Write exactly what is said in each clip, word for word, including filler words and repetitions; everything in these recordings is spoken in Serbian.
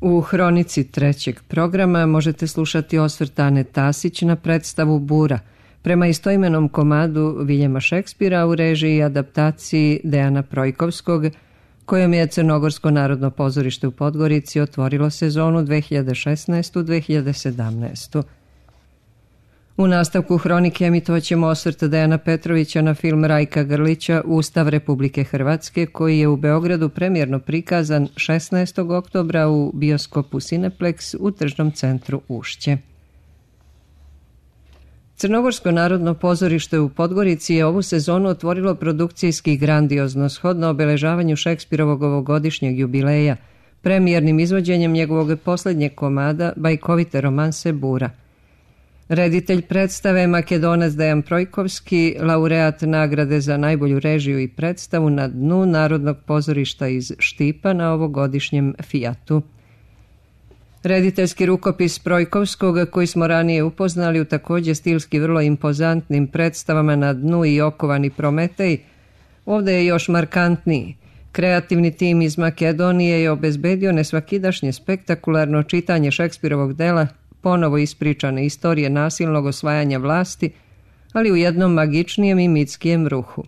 U hronici trećeg programa možete slušati osvrt Ane Tasić na predstavu Bura, prema istoimenom komadu Viljema Šekspira u režiji i adaptaciji Dejana Projkovskog, kojom je Crnogorsko narodno pozorište u Podgorici otvorilo sezonu dve hiljade šesnaeste dve hiljade sedamnaeste. U nastavku hronike emitovaćemo osvrt Dejana Petrovića na film Rajka Grlića Ustav Republike Hrvatske, koji je u Beogradu premijerno prikazan šesnaestog oktobra u bioskopu Cineplex u tržnom centru Ušće. Crnogorsko narodno pozorište u Podgorici je ovu sezonu otvorilo produkcijski grandiozno shodno obeležavanju Šekspirovog ovogodišnjeg jubileja, premijernim izvođenjem njegovog posljednjeg komada bajkovite romanse Bura. Reditelj predstave Makedonac Dejan Projkovski, laureat nagrade za najbolju režiju i predstavu na dnu Narodnog pozorišta iz Štipa na ovogodišnjem Fijatu. Rediteljski rukopis Projkovskog, koji smo ranije upoznali u također stilski vrlo impozantnim predstavama Na dnu i Okovani Prometej, ovdje je još markantniji. Kreativni tim iz Makedonije je obezbedio nesvakidašnje spektakularno čitanje Šekspirovog dela, ponovo ispričane istorije nasilnog osvajanja vlasti, ali u jednom magičnijem i mitskijem ruhu.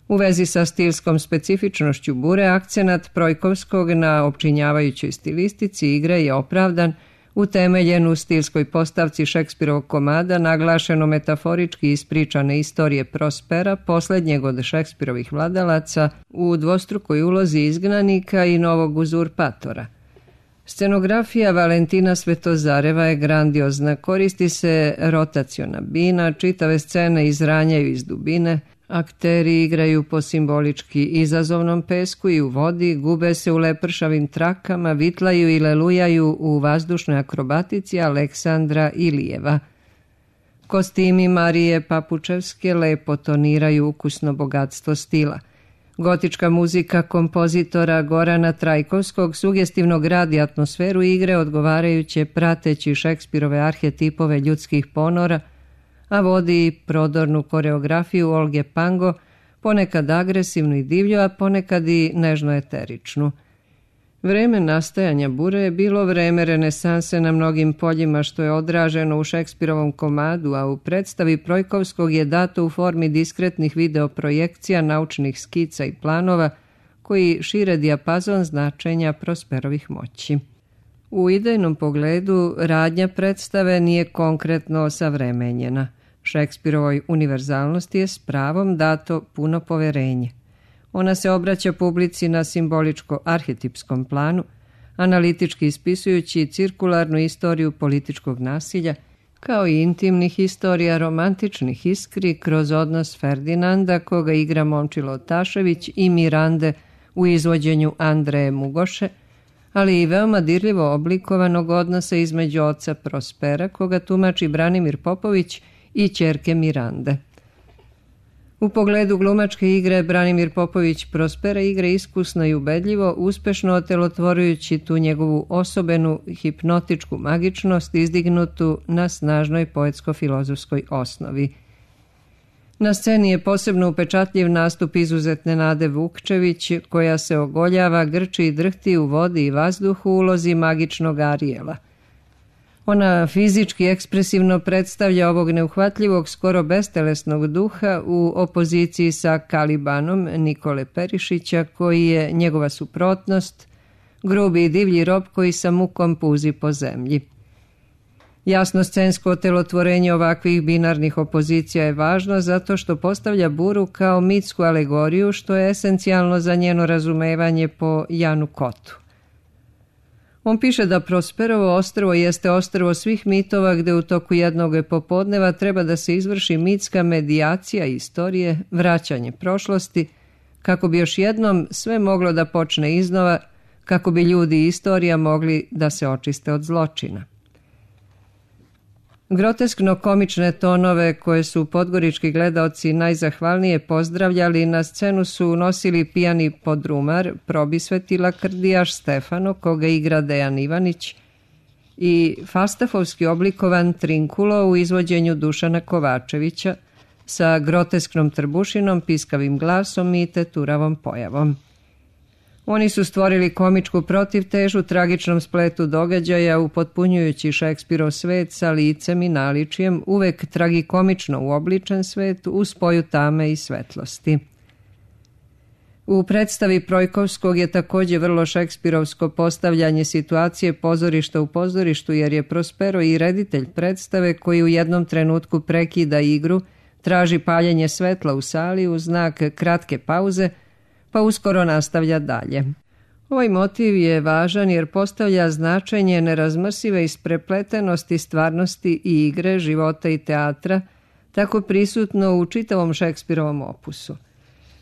U vezi sa stilskom specifičnošću Bure, akcenat Projkovskog na opčinjavajućoj stilistici igre je opravdan, utemeljen u stilskoj postavci Šekspirovog komada, naglašeno metaforički ispričane istorije Prospera, posljednjeg od Šekspirovih vladalaca, u dvostrukoj ulozi izgnanika i novog uzurpatora. Scenografija Valentina Svetozareva je grandiozna, koristi se rotaciona bina, čitave scene izranjaju iz dubine, akteri igraju po simbolički izazovnom pesku i u vodi, gube se u lepršavim trakama, vitlaju i lelujaju u vazdušnoj akrobatici Aleksandra Ilijeva. Kostimi Marije Papučevske lepo toniraju ukusno bogatstvo stila. Gotička muzika kompozitora Gorana Trajkovskog sugestivno gradi atmosferu igre odgovarajuće prateći Šekspirove arhetipove ljudskih ponora, a vodi i prodornu koreografiju Olge Pango, ponekad agresivnu i divlju, a ponekad i nežno eteričnu. Vreme nastajanja Bure je bilo vreme renesanse na mnogim poljima, što je odraženo u Šekspirovom komadu, a u predstavi Projkovskog je dato u formi diskretnih videoprojekcija, naučnih skica i planova koji šire dijapazon značenja Prosperovih moći. U idejnom pogledu radnja predstave nije konkretno osavremenjena. Šekspirovoj univerzalnosti je s pravom dato puno poverenje. Ona se obraća publici na simboličko-arhetipskom planu, analitički ispisujući cirkularnu istoriju političkog nasilja, kao i intimnih istorija romantičnih iskri kroz odnos Ferdinanda, koga igra Momčilo Tašević, i Mirande u izvođenju Andreje Mugoše, ali i veoma dirljivo oblikovanog odnosa između oca Prospera, koga tumači Branimir Popović, i ćerke Mirande. U pogledu glumačke igre Branimir Popović Prospera igra iskusno i ubedljivo, uspešno otelotvorujući tu njegovu osobenu hipnotičku magičnost izdignutu na snažnoj poetsko-filozofskoj osnovi. Na sceni je posebno upečatljiv nastup izuzetne Nade Vukčević, koja se ogoljava, grči i drhti u vodi i vazduhu u ulozi magičnog Arijela. Ona fizički ekspresivno predstavlja ovog neuhvatljivog, skoro bestelesnog duha u opoziciji sa Kalibanom Nikole Perišića, koji je njegova suprotnost, grubi i divlji rob koji sa mukom puzi po zemlji. Jasno scensko otelotvorenje ovakvih binarnih opozicija je važno zato što postavlja Buru kao mitsku alegoriju, što je esencijalno za njeno razumevanje po Janu Kotu. On piše da Prosperovo ostrvo jeste ostrvo svih mitova, gde u toku jednog popodneva treba da se izvrši mitska medijacija istorije, vraćanje prošlosti, kako bi još jednom sve moglo da počne iznova, kako bi ljudi i istorija mogli da se očiste od zločina. Groteskno komične tonove koje su podgorički gledaoci najzahvalnije pozdravljali na scenu su unosili pijani podrumar, probisveti lakrdijaš Stefano, koga igra Dejan Ivanić, i fastafovski oblikovan Trinkulo u izvođenju Dušana Kovačevića sa grotesknom trbušinom, piskavim glasom i teturavom pojavom. Oni su stvorili komičku protivtežu tragičnom spletu događaja, upotpunjujući Šekspirov svet sa licem i naličjem, uvek tragikomično uobličen svet u spoju tame i svetlosti. U predstavi Projkovskog je također vrlo šekspirovsko postavljanje situacije pozorišta u pozorištu, jer je Prospero i reditelj predstave koji u jednom trenutku prekida igru, traži paljenje svetla u sali u znak kratke pauze, pa uskoro nastavlja dalje. Ovaj motiv je važan jer postavlja značenje nerazmrsive isprepletenosti stvarnosti i igre, života i teatra, tako prisutno u čitavom Šekspirovom opusu.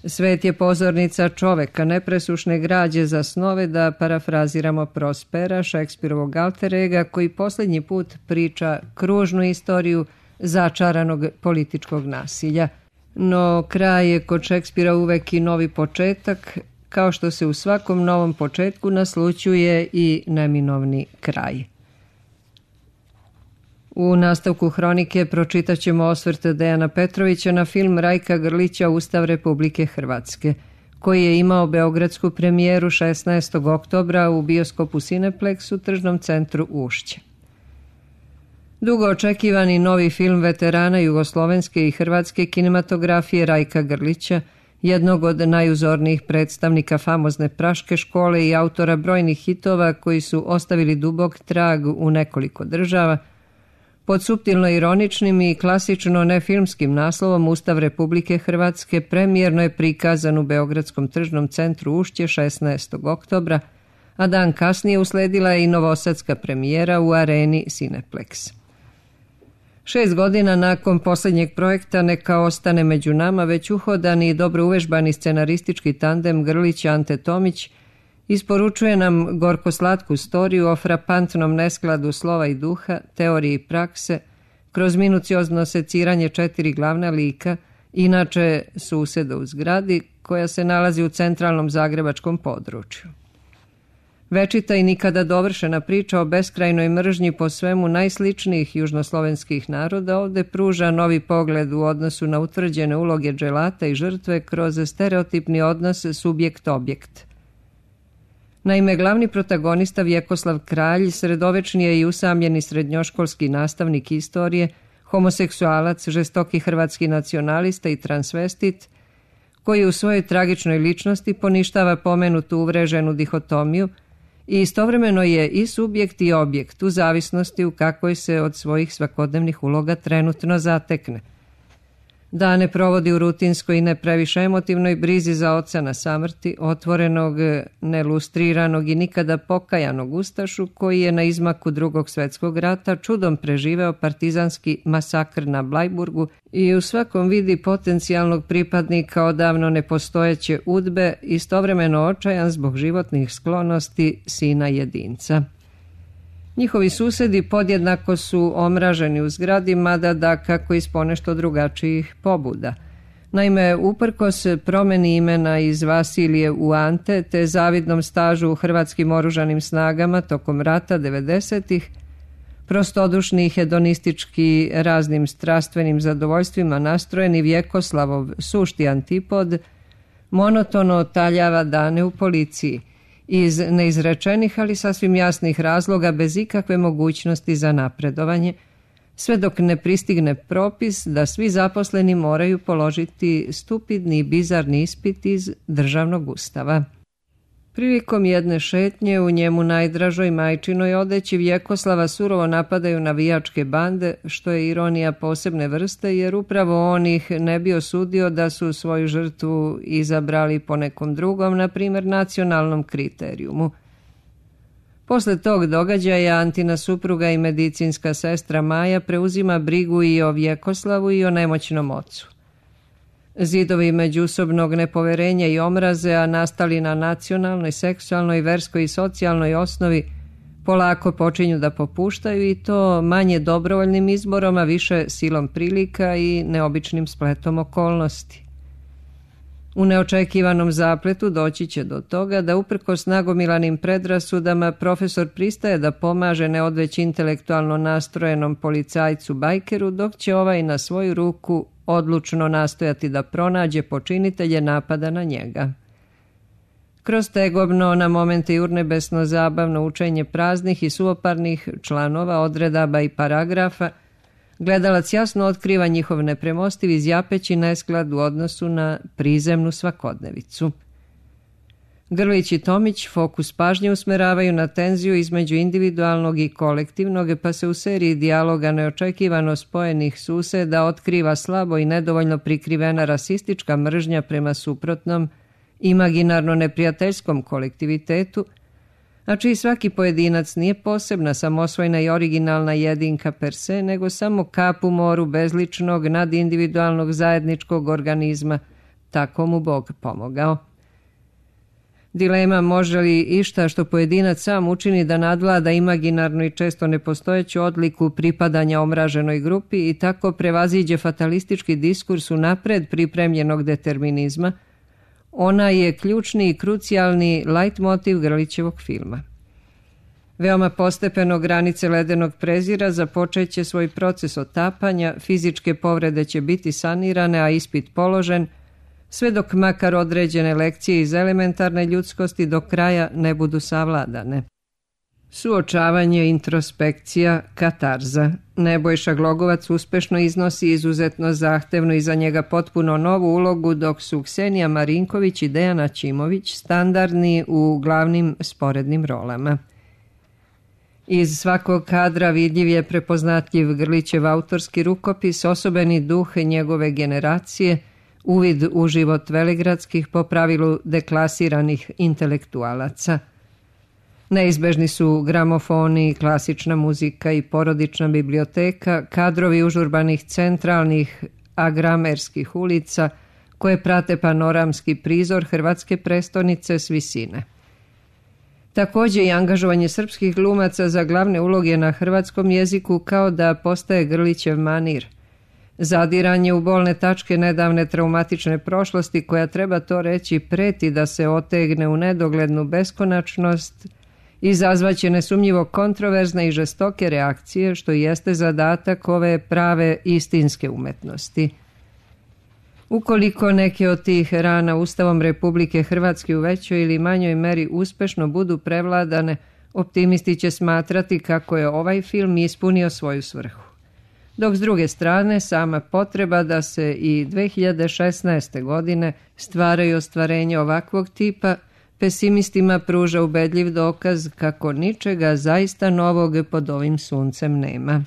Svet je pozornica čoveka, nepresušne građe za snove, da parafraziramo Prospera, Šekspirovog alter ega, koji posljednji put priča kružnu istoriju začaranog političkog nasilja. No kraj je kod Šekspira uvek i novi početak, kao što se u svakom novom početku naslućuje i neminovni kraj. U nastavku hronike pročitat ćemo osvrt Dejana Petrovića na film Rajka Grlića Ustav Republike Hrvatske, koji je imao beogradsku premijeru šesnaestog oktobra u bioskopu Cineplex u tržnom centru Ušće. Dugo očekivani novi film veterana jugoslovenske i hrvatske kinematografije Rajka Grlića, jednog od najuzornijih predstavnika famozne Praške škole i autora brojnih hitova koji su ostavili dubok trag u nekoliko država, pod suptilno ironičnim i klasično nefilmskim naslovom Ustav Republike Hrvatske premijerno je prikazan u beogradskom tržnom centru Ušće šesnaestog oktobra, a dan kasnije usledila je i novosadska premijera u areni Cineplex. Šest godina nakon posljednjeg projekta Neka ostane među nama, već uhodani i dobro uvežbani scenaristički tandem Grlić-Ante Tomić isporučuje nam gorko-slatku storiju o frapantnom neskladu slova i duha, teorije i prakse, kroz minuciozno seciranje četiri glavna lika, inače suseda u zgradi, koja se nalazi u centralnom zagrebačkom području. Večita i nikada dovršena priča o beskrajnoj mržnji po svemu najsličnijih južnoslovenskih naroda ovdje pruža novi pogled u odnosu na utvrđene uloge dželata i žrtve kroz stereotipni odnos subjekt-objekt. Naime, glavni protagonista Vjekoslav Kralj sredovečni je i usamljeni srednjoškolski nastavnik istorije, homoseksualac, žestoki hrvatski nacionalista i transvestit, koji u svojoj tragičnoj ličnosti poništava pomenutu uvreženu dihotomiju i istovremeno je i subjekt i objekt u zavisnosti u kakvoj se od svojih svakodnevnih uloga trenutno zatekne. Dane provodi u rutinskoj i ne previše emotivnoj brizi za oca na samrti, otvorenog, nelustriranog i nikada pokajanog ustašu koji je na izmaku Drugog svjetskog rata čudom preživeo partizanski masakr na Blajburgu i u svakom vidi potencijalnog pripadnika odavno nepostojeće udbe, istovremeno očajan zbog životnih sklonosti sina jedinca. Njihovi susedi podjednako su omraženi u zgradi, mada da kako iz ponešto drugačijih pobuda. Naime, uprkos promjeni imena iz Vasilije u Ante te zavidnom stažu u hrvatskim oružanim snagama tokom rata devedesetih, prostodušni i hedonistički raznim strastvenim zadovoljstvima nastrojeni Vjekoslavov sušti antipod monotono taljava dane u policiji, iz neizrečenih, ali sasvim jasnih razloga, bez ikakve mogućnosti za napredovanje, sve dok ne pristigne propis da svi zaposleni moraju položiti stupidni i bizarni ispit iz državnog ustava. Prilikom jedne šetnje u njemu najdražoj majčinoj odeći Vjekoslava surovo napadaju navijačke bande, što je ironija posebne vrste, jer upravo on ih ne bi osudio da su svoju žrtvu izabrali po nekom drugom, na primjer nacionalnom kriterijumu. Posle tog događaja Antina supruga i medicinska sestra Maja preuzima brigu i o Vjekoslavu i o nemoćnom ocu. Zidovi međusobnog nepoverenja i omraze, a nastali na nacionalnoj, seksualnoj, verskoj i socijalnoj osnovi, polako počinju da popuštaju i to manje dobrovoljnim izborom, a više silom prilika i neobičnim spletom okolnosti. U neočekivanom zapletu doći će do toga da uprkos nagomilanim predrasudama profesor pristaje da pomaže neodveć intelektualno nastrojenom policajcu bajkeru, dok će ovaj na svoju ruku odlučno nastojati da pronađe počinitelje napada na njega. Kroz tegobno, na momente i urnebesno zabavno učenje praznih i suvoparnih članova, odredaba i paragrafa, gledalac jasno otkriva njihov nepremostiv izjapeći nesklad u odnosu na prizemnu svakodnevicu. Grlić i Tomić fokus pažnje usmeravaju na tenziju između individualnog i kolektivnog, pa se u seriji dijaloga neočekivano spojenih suseda otkriva slabo i nedovoljno prikrivena rasistička mržnja prema suprotnom, imaginarno neprijateljskom kolektivitetu, a čiji svaki pojedinac nije posebna, samosvojna i originalna jedinka per se, nego samo kap u moru bezličnog, nadindividualnog zajedničkog organizma, tako mu Bog pomogao. Dilema može li išta što pojedinac sam učini da nadvlada imaginarnu i često nepostojeću odliku pripadanja omraženoj grupi i tako prevaziđe fatalistički diskurs unapred pripremljenog determinizma, ona je ključni i krucijalni lajtmotiv Grlićevog filma. Veoma postepeno granice ledenog prezira započeće svoj proces otapanja, fizičke povrede će biti sanirane, a ispit položen, sve dok makar određene lekcije iz elementarne ljudskosti do kraja ne budu savladane. Suočavanje, introspekcija, katarza. Nebojša Glogovac uspešno iznosi izuzetno zahtevnu i za njega potpuno novu ulogu, dok su Ksenija Marinković i Dejana Ćimović standardni u glavnim sporednim rolama. Iz svakog kadra vidljiv je prepoznatljiv Grlićev autorski rukopis, osobeni duh njegove generacije, uvid u život veligradskih po pravilu deklasiranih intelektualaca. Neizbežni su gramofoni, klasična muzika i porodična biblioteka, kadrovi užurbanih centralnih agramerskih ulica koje prate panoramski prizor hrvatske prestonice s visine. Također i angažovanje srpskih glumaca za glavne uloge na hrvatskom jeziku kao da postaje Grlićev manir. Zadiranje u bolne tačke nedavne traumatične prošlosti koja, treba to reći, preti da se otegne u nedoglednu beskonačnost, izazvaće nesumnjivo kontroverzne i žestoke reakcije, što jeste zadatak ove prave istinske umetnosti. Ukoliko neke od tih rana Ustavom Republike Hrvatske u većoj ili manjoj meri uspešno budu prevladane, optimisti će smatrati kako je ovaj film ispunio svoju svrhu. Dok s druge strane, sama potreba da se i dve hiljade šesnaeste. godine stvaraju ostvarenje ovakvog tipa, pesimistima pruža ubedljiv dokaz kako ničega zaista novog pod ovim suncem nema.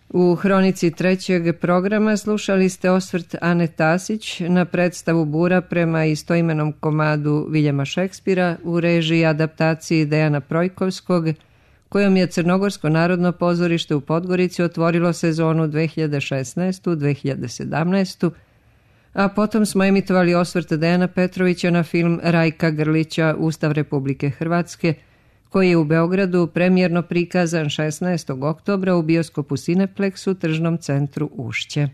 U hronici trećeg programa slušali ste osvrt Ane Tasić na predstavu Bura prema istoimenom komadu Viljama Šekspira u režiji i adaptaciji Dejana Projkovskog, kojom je Crnogorsko narodno pozorište u Podgorici otvorilo sezonu dve hiljade šesnaeste. dve hiljade sedamnaeste. A potom smo emitovali osvrt Dejana Petrovića na film Rajka Grlića Ustav Republike Hrvatske, koji je u Beogradu premijerno prikazan šesnaestog oktobra u bioskopu Cineplex u tržnom centru Ušće.